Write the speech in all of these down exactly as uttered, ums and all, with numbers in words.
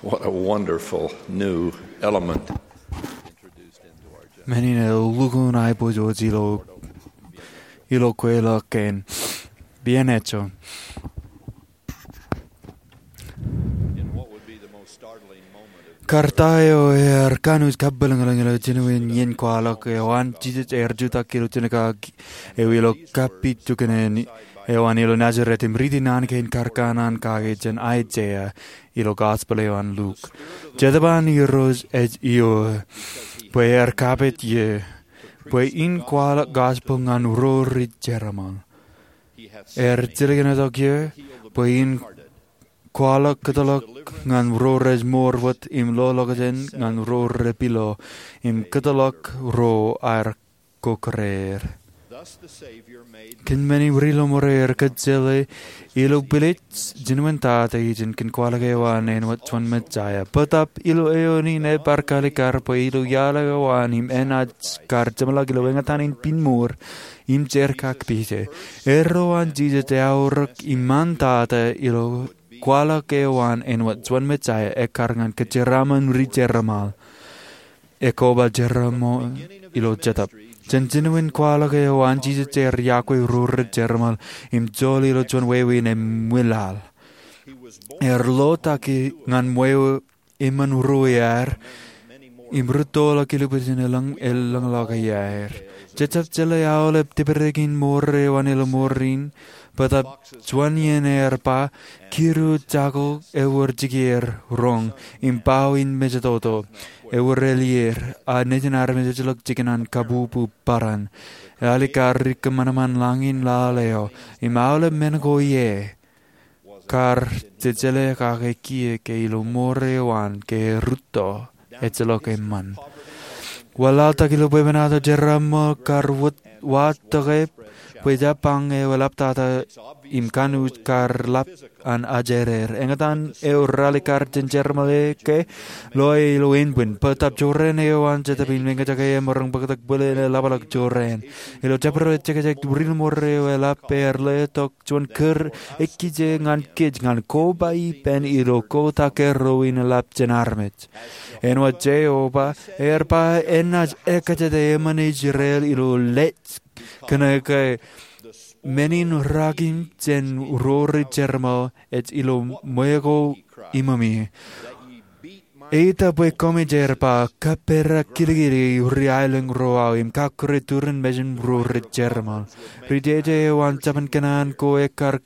What a wonderful new element. Men in elukkuun aiboojoj ilo, ilo kweilọk kein. Pien ejo. Kar ta eo ear kanooj kabwilōñlōñ ilo jinoin iien kwaḷọk eo an Jisōs ear jutak ilo jinōkak eo ilo kapijuknen eo an ilo Nazeret im riiti naan kein kar kanaan kake jān Aiseia ilo Gospel eo an Luk. Jetōb an Irooj ej ioō, bwe ear kapit ie, bwe in kwaḷọk gospel ñan ro ri jeramḷ. Ear jilkintok ie, bwe in kwaḷọk kōtḷọk ñan ro rej mour wōt im loḷọkjeṇ ñan ro rej pilo, im kōtḷọk ro aer kōkōreer. Kōn men in ri ḷōṃure ear kōjjeḷā ilo bwilej jinoin tata ijin kōn kwaḷọk eo an āinwōt juon Mesaia. Bōtōb ilo eoon in ebar kalikar bwe ilo iaḷ eo an im enaaj kar jeṃḷọk ilo eñtaan in piñmour im jerkakpeje. Erro an Jisōs eaorōk iṃaan tata ilo kwaḷọk eo an āinwōt juon Mesaia ekkar ñan kōjeraaṃṃan ri jeramḷ. Ekoba jeramḷ ilo jetōb. Jān jinoin kwaḷọk eo an Jisōs ear iọkwe ro ri jeramḷ im joḷ ilo juon wāween emwilaḷ. Ear ḷotak ñan ṃweo eṃṃan ruo iaer im rūttoḷọk ilubwiljin elōñ, elōñḷọk iaer. Jejjab jeḷā aolep dipdipin mour eo an ilo ṃoor in, bōtōb juon iien ear ba, kidu jako ewōr jikier roñ im bao in mejatoto ewōr elier, a nejin armej ejjeḷọk jikin an kabubu bōran. Ealikkar ri kōṃanṃan lañin laḷ eo im aolep men ko ie kar jejeḷā kake kiiō ke ilo ṃoor eo an ke rūtto ejjeḷọk eṃṃan. Wanlaḷtak ilo bwebwenato jeramḷ kar wōt wa tōke bwe jab bañ eo eḷaptata im kanooj kar lap an ajereer. Eñtaan eo ralikar jān jeramḷ e ke loe ilo ānbwin. Bōtōb jorrāān eo an Jetōb in eñjake e maroñ bōktok bwilōñ eḷapḷọk jorrāān. Ilo jabdewōt ejekjek ri ḷōṃure eo eḷap ear letok juon kūr ekkije ñan kōj ñan koba ippān ilo kōtake ro in eḷap jān armej. Āinwōt Jeova ear ba enaaj ekkejete eṃṃan Israel ilo lej kōnke men in rakim jān ro ri jeramḷ ej ilo ṃweo ko iṃōmi. Eita bwe koṃij, ear ba, kaperakilkili ri aelōñ ro aō im kakure turin mejān ro ri jeramḷ. Ri jeje eo an jabōn Kenan ko ekkar,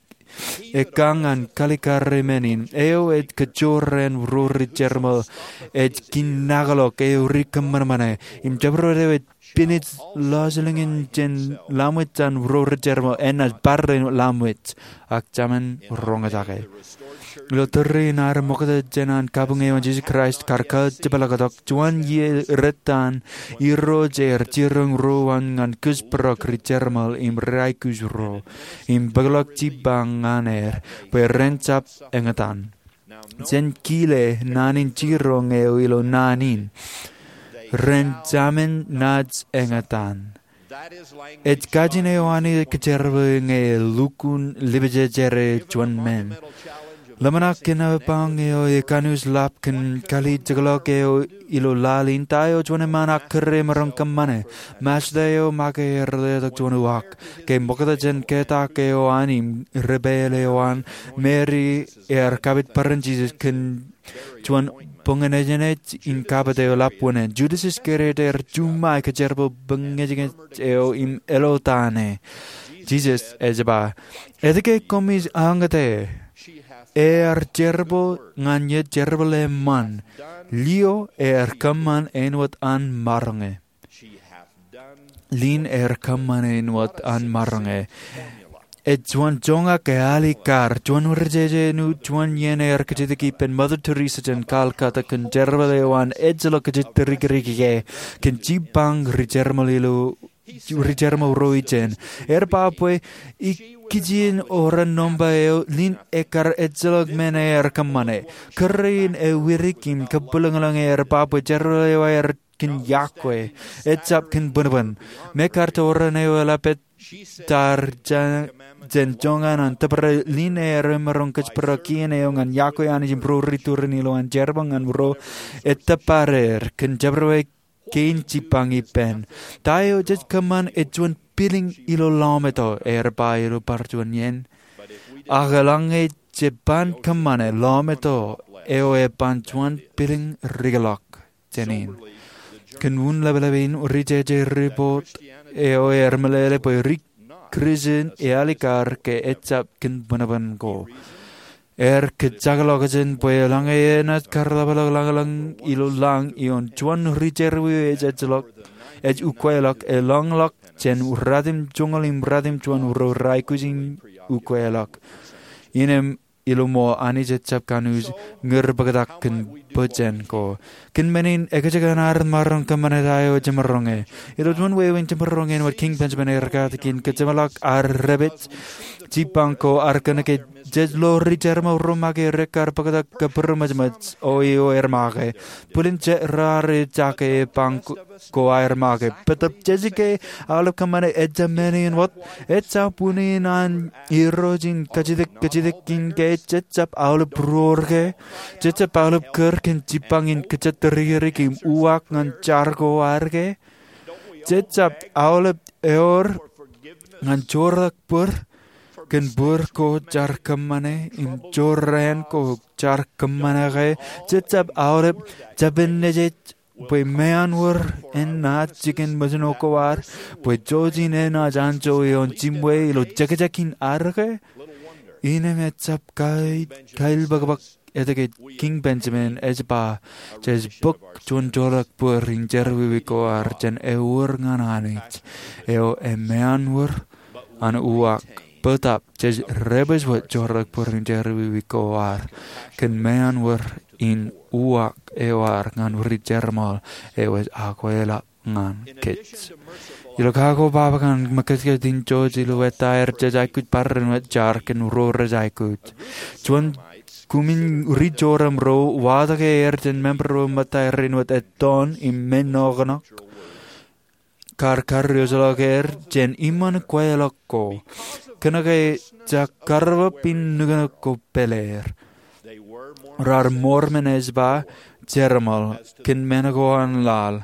ekkañ an kalikar men in. Eo ej kajorrāān ro ri jeramḷ ej kinnaklọk eo ri kōṃanṃane. Im jabdewōt eo ej pinej lọjilñin jān lamwōj an ro ri jeramḷ enaaj bar āinwōt lamwōj, ak Jemān roñjake. Ilo tōre in ad ṃokta jān an kabuñ eo an Jisōs Kraist kar kajepḷaaktok, juon iiō rot an Irooj ear jiroñ ruo an ñan kōjparok ri jeramḷ im ri aikuj ro, im bōkḷọk jibbañ ñan er bwe ren jab eñtaan. Jen kile naan in jiroñ eo ilo naan in. Ren Jemān naaj eñtaan. Ej kajin eo Anij ej kōjerbale ñe elukkuun ḷipejejere juon men. Ḷōmṇak kōn ebañ eo ekanooj lap kōn kalijekḷọk eo ilo laḷ in, ta eo juon eṃṃan ak kūr e maroñ kōṃṃane? Masta eo make ear letok juon uwaak ke ṃokta jān ketak eo an im ripāāl eo an Meri ear kapit bōran Jisōs kōn juon boñōn ejnej in kapit eo eḷap unin. Judas Iskariot ear juṃae kōjerbal boñōn ejnej eo im ālōtane. Jisōs ej ba, etke koṃij añōte? Ear jerbal ñan ie jerbal eṃṃan. Lio ear kōṃṃan āinwōt an maroñe. Lin ear kōṃṃan āinwōt an maroñe. Ej juon joñak ealikkar, juon ri jeje eo juon iien ear kajjitōk ippān Mother Teresa jān Calcutta kōn jerbal eo an ejjeḷọk kajjitōk dikdik e kōn jibbañ ri jeramḷ ilo, ri jeramḷ ro ijin. Ear ba bwe ikijjien oran nōṃba eo lin ekkar ejjeḷọk men ear kōṃṃane. Kūr in ewidik im kabwilōñlōñ ear ba bwe jerbal eo ear kōn yokwe, ejjab kōn bōnbōn. Mekar toorōn eo eḷap etar jān joñan an tōprak lin eo emaroñ kōjparok kien eo ñan yokwe Anij im ro ri turin ilo an jerbal ñan ro etōpar er kōn jabdewōt kein jibbañ ippān. Ta eo jej kōṃṃan ej juon pilōñ ilo lọmeto, er ba ilo bar juon iien. Ak eḷaññe jeban kōṃṃane, lọmeto eo eban juon pilōñ rikḷọk jān in. Kōn wūn ḷapḷap in, rijeje ripot eo er meḷeḷe bwe ri Kūrjin ealikkar ke ejjab kōn bōnbōn ko. Er kōjakḷọkjeṇ bwe eḷaññe enaaj karḷapḷọk lañlōñ ilo lañ ioon juon ri jerọwiwi ej ejjeḷọk, ej ukweḷọk, elọñḷọk jān ruatimjuonñoul im ruatimjuon ro rej aikuj im ukweḷọk. Innām ilo ṃool Anij ejjab kanooj ñūr bōktak kōn bōjjāān ko. Kōn men in, ekajjik an ad maroñ kōṃṃane ta eo jemaroñe. Ilo juon wāween jemaroñ āinwōt Kiiñ Benjamin ear katakin kōjeṃḷọk ad repej jibbañ ko, ear kōnke jej lo ri jerbal ro make rekar bōktak kōbūrmejmej eo er make. Bwilin jet raar ejake jibbañ ko aer make. Bōtab jej ke aolep kōṃṃane ejjab men in wōt, ejjab unin an Irooj in kajjitōk kajjitōk in ke jejjab aolep būruōr ke, jejjab aolep kūr kōn jibbañ in kōjatdikdik im uwaak ñan jar ko ad ke. Jejjab aolep ewōr ñan joorḷọk bōd kōn bōd ko jaar kōṃṃane im jorrāān ko jaar kōṃṃane ke. Jejjab aolep jabinejej bwe meanwōr enaaj jikin mōjṇo ko ad, bwe jouj in enaaj anjọ ioon jimwe ilo jekjek in ad ke. Innām ejjab kailbōkbōk etke Kiiñ Benjamin ej ba, jej bōk juon joorḷọk bōd in jerọwiwi ko ad jān ewōr ñan Anij eo emeanwōr an uwaak. Bōtab jej rej pād wōt joorḷọk bōd in jerọwiwi ko ad kōn meanwōr in uwaak eo ad ñan ri jerbal eo ej akweḷap ñan kōj. Ilo kako baba ñan ṃōkajkaj in jouj ilo ettā aer jej aikuj barāinwōt jar kōn ro rej aikuj. Juon kumi ri jorrāān ro watōke er jān member ro ṃōtta er āinwōt ettoon im men noknok kar karreojeḷọk er jān iṃaan kweilọk ko, kōnke jekar bar in nuknuk ko pād er. Raar Mormon ej ba, jerbal kōn men ko an laḷ,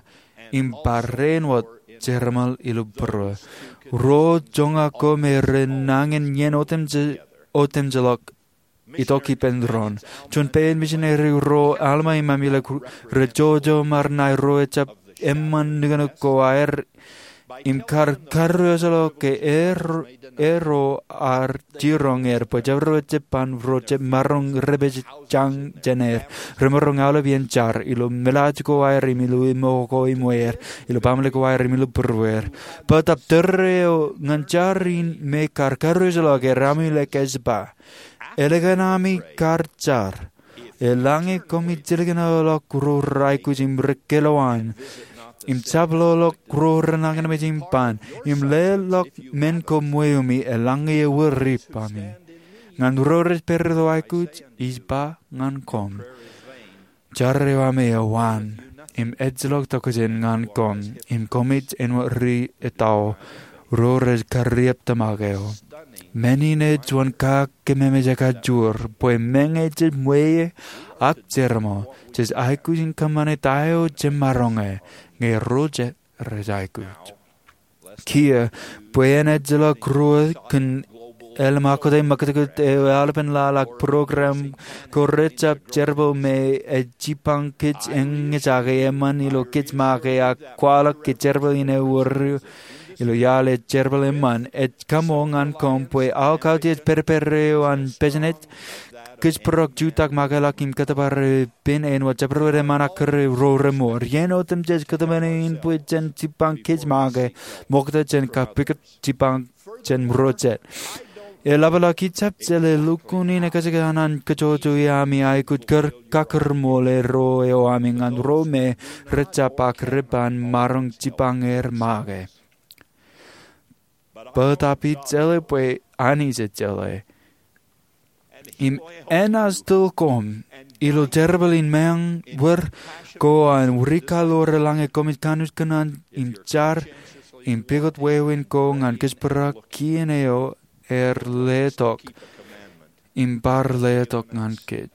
im barāinwōt jerbal ilo būruō. Ro joñak ko me rej nañin iien otemjeḷọk itok ippān doon. Juon pein misineri ro Alma im Amulek rej jojo ṃaar ṇae ro ejjab eṃṃan nuknuk ko aer im kar karreojeḷọk ke er ro ar jiroñ er bwe jabdewōt jibbañ ro jab maroñ repej jañ jān er. Remaroñ aolep iien jar ilo meḷaaj ko aer im ilo iṃō ko iṃweer, ilo baaṃle ko aer im ilo būruweer. Bōtab tōre eo ñan jar in me kar karreojeḷọk er, Amulek ej ba, Ālikin ami kar jar, eḷaññe koṃij jilkinḷọk ro rej aikuj im rej kōḷḷọk, im jab loḷọk ro rej nañinmej im ban, im leḷọk men ko ṃweo mi, eḷaññe ewōr ippa mi ñan ro rej pād ilo aikuj, ij ba ñan koṃ, jar eo ami ewaan im ejjeḷọk tokjān ñan koṃ, im koṃij āinwōt ri etao ro rej karrieptōmak eo. Men in ej juon kakememej ekajoor, bwe meñe jej ṃweo ak jerbal, jej aikuj in kōṃṃane ta eo jemaroñe ñe ro jet rej aikuj. Kiiō, bwe en ejjeḷọk ruo kōn elōñ ṃakūtkūt eo aolepen laḷ ak program ko rejjab jerbal me ej jibbañ kōj eñjake eṃṃan ilo kōj make ak kwaḷọk ke jerbal in ewōr ilo iaḷ ej jerbal eṃṃan, ej kaṃṃool ñan koṃ bwe aō kautiej pedped eo an business, kōjparok jutak, makilọk im kōttōpar eo pen āinwōt jabdewōt eṃṃan ak kūr ro remour. Iien otemjej kōtmāne in bwe jen jibbañ kōj make, ṃokta jen kapikōt jibbañ jān ro jet. Eḷapḷọk ijjab jeḷā lukkuun in ekajjik an an kōjojoi ami aikuj kar kakūrṃool ro eo ami ñan ro me rejjab ak reban maroñ jibbañ er make. Bōtab ij jeḷā bwe Anij ej jeḷā. Im enaaj tōl koṃ ilo jerbal in meañ wōr ko an rikaḷoor eḷaññe koṃij kanooj kōṇaan im jar im pukot wāween ko ñan kōjparok kien eo ear letok im bar letok ñan kōj.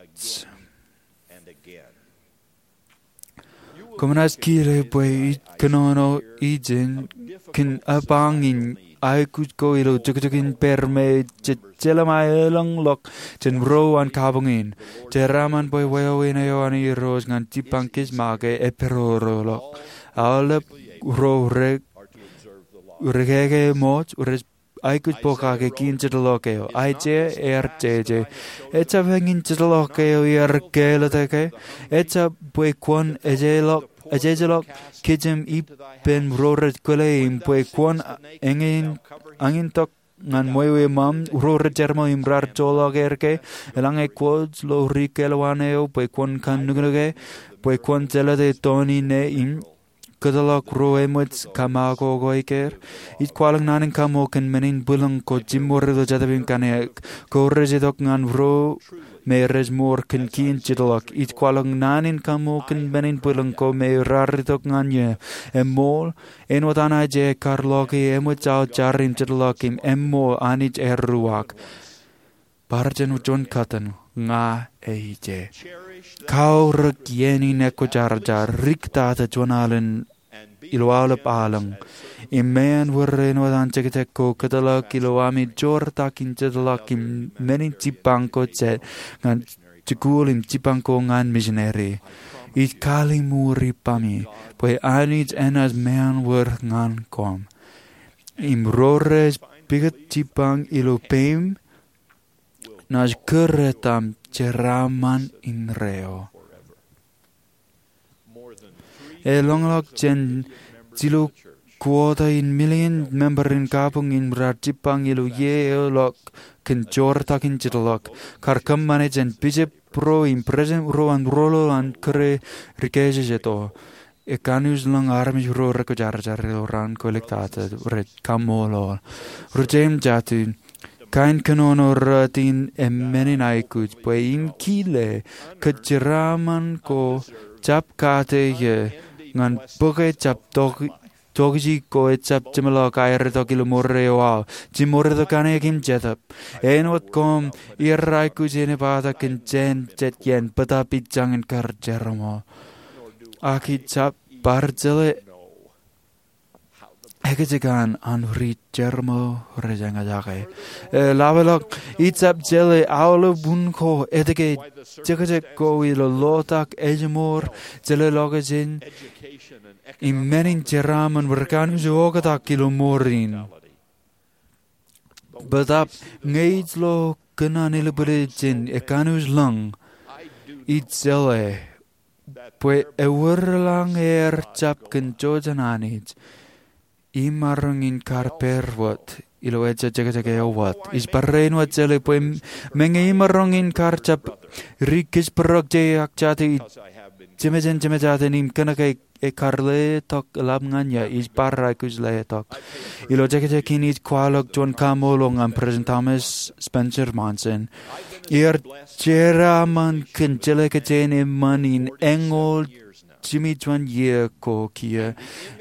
Koṃ naaj kile bwe ij kōnono ijin kōn apañ in aikuj ko ilo jokjok in pād me jej jelṃae elōñḷọk jān ro an kabuñ in. Jeraaṃṃan bwe wāween eo an Irooj ñan jipañ kōj make epidodoḷọk. Aolep ro re, rekeke ṃōj, rej aikuj pokake kien jedḷọk eo. Aiseia ear jeje, ejjab eñin jedḷọk eo iar kālōte ke? Ejjab bwe kwōn ejejḷọk, ejejḷọk kōj im ippān ro rej kwōle im bwe kwōn eñin, eñintok ñan ṃweo ṃaṃ ro rej jerbal im raar joḷọk er ke? Eḷaññe kwōj lo ri kālwaan eo bwe kwōn kanooj ke? Bwe kwōn jelōte toon in im kōtḷọk ro eṃōj kōṃakoko er? Ij kwaḷọk naan in kaṃṃool kōn men in bwilōñ ko jiṃor ilo Jetōb im Kaṇe, ko rej itok ñan ro me rej mour kōn kien jedḷọk. Ij kwaḷọk naan in kaṃṃool kōn men in bwilōñ ko me raar itok ñan eō. Eṃool, āinwōt an Aiseia, kar loke eṃōj aō jar im jedḷọk im eṃool Anij ear ruwaak. Bar jān juon kōttan, ña eije. Kaorōk iien in ekwōjarjar, riktata juon alen ilo aolep aolōñ. Im meañ wōr āinwōt an jekjek ko kōtḷọk ilo ami joortak in jedḷọk im men in jipañ ko jet ñan jikuuḷ im jipañ ko ñan misineri. Ij kalliṃur ippaṃi bwe Anij enaaj meañ wōr ñan koṃ. Im ro rej pukot jipañ ilo peiṃ naaj kūr etaṃ jeraaṃṃan indeeo. Elōñḷọk jān jilu kwōta in million member in kabuñ in raar jipañ ilo iiō eo ḷọk kōn joortak in jedḷọk. Kar kōṃṃane jān bishop ro im president ro an rōḷḷap an kūr rikijjien jet eo. Ekanooj ḷọk armej ro rekwōjarjar ilo raan ko iliktata rej kaṃṃoolol. Ri-Jeim jatid, kain kōnono rot in eṃṃan in aikuj bwe im kile kōjeraaṃṃan ko jab kate eō ñan bōke jab tok, tokjān ko ejjab jeṃḷọk aer itok ilo ṃoor eo aō. Jiṃor itok kaṇe im jetōb. Āinwōt koṃ, iar aikuj in epata kōn jān jet iien bōtap ij jañin kar jerbal. Ak ij jab bar jeḷā ekjek an an ri-jerbal rej eñjake. Eḷapḷọk, ij jab jeḷā aolep wūn ko etke jekjek ko ilo lotak, ājmour, jeḷā lokajen, im men in jeraaṃṃan rekanooj oktak ilo ṃoor in. Bōtap ñe ij lo kōn an ilebwilej jān ekanooj ḷọk, ij jeḷā bwe ewōr eḷaññe ear jab kōn jojo an Anij, imaroñ in kar pād wōt ilo ejja jekjek eo wōt. Ij barāinwōt jeḷā bwe meñe imaroñ in kar jab ri kōjparok je ak jate, ij jemān jemān jate im kōnke ekar letok eḷap ñan eō, ij bar aikuj letok. Ilo jekjek in ij kwaḷọk juon kaṃṃoolol ñan President Thomas Spencer Monson. Iar jeraaṃṃan kōn jeḷā kōjeañ eṃṃan in eñoul jimjuon iiō ko kiiō.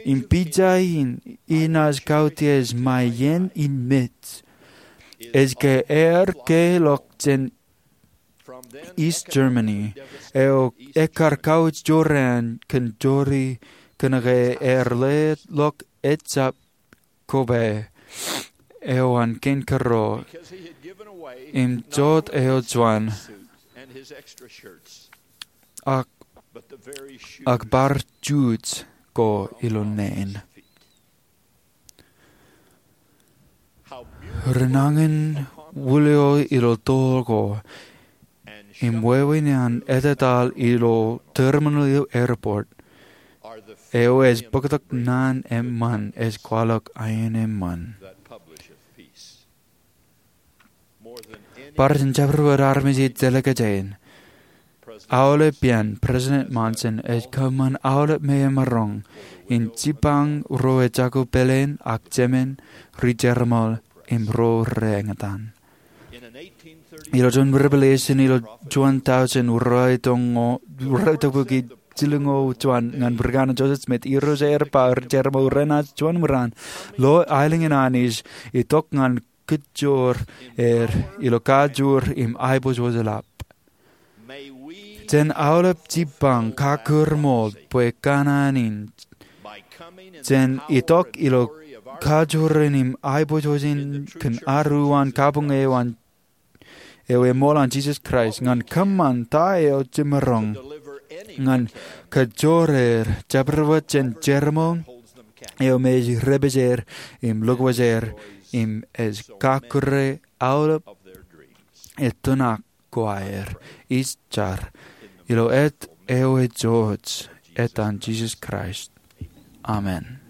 Im pija in, inaaj kautiej ṃae iien in mej. Ej ke ear keḷọk jān East Germany, eo ekar kauj jorrāān kōn jori kōnke ear leḷọk ejjab koba eo an kein kōrro im jot eo juon ak, ak bar juuj ko ilo naan. Renañin wūlio ilo toḷ ko im wāween an etetal ilo terminal ilo airport eo ej bōktok naan eṃṃan ej kwaḷọk aenōṃṃan. Bar jān jabdewōt armej ilo jeḷā kōjeañ, aolep iien President Monson ej kōṃṃan aolep meaṃ imaroñ in jipañ ro ejako pāleen ak jemān, ri-jerbal im ro reñtaan. Ilo juon Revelation ilo juon tọujin ruo tọpiki jilñoul juon ñan President Joseph Smith, irooj eo aer ba rej jerbal renaaj juon ṃōrāṇ lo aelōñ in Anij itok ñan kōjjoor er ilo kajoor im aiboojoj ḷap. Jen aolep jipañ kakkōrmool bwe kōṇaan in jen itok ilo kajoor in im aiboojoj in kōn ad uwaan kabuñ eo an eo eṃool an Jisōs Kraist ñan kōṃṃan ta eo jemaroñ ñan kōjjoor er jabdewōt jān jerbal eo me ej repejer im lukkuun er im ej kakkure aolep etōṇak ko aer. Ij jar ilo āt eo ejouj, āt an Jisōs Kraist, amen.